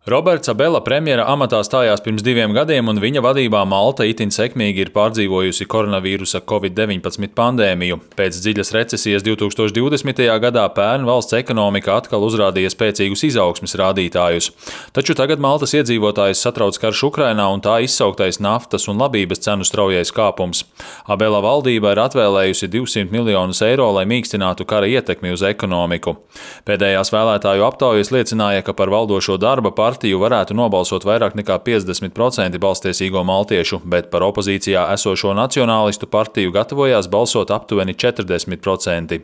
Roberts Abela premjera amatā stājās pirms 2 gadiem, un viņa vadībā Malta itin sekmīgi ir pārdzīvojusi koronavīrusa Covid-19 pandēmiju. Pēc dziļas recesijas 2020. gadā pērn valsts ekonomika atkal uzrādīja spēcīgus izaugsmes rādītājus. Taču tagad Maltas iedzīvotājus satrauc karš Ukrainā un tā izsauktais naftas un labības cenu straujais kāpums. Abela valdība ir atvēlējusi 200 miljonus eiro, lai mīkstinātu kara ietekmi uz ekonomiku. Pēdējās vēlētāju aptaujas liecināja, ka par valdošo darba partiju varētu nobalsot vairāk nekā 50% balstiesīgo maltiešu, bet par opozīcijā esošo nacionālistu partiju gatavojās balsot aptuveni 40%.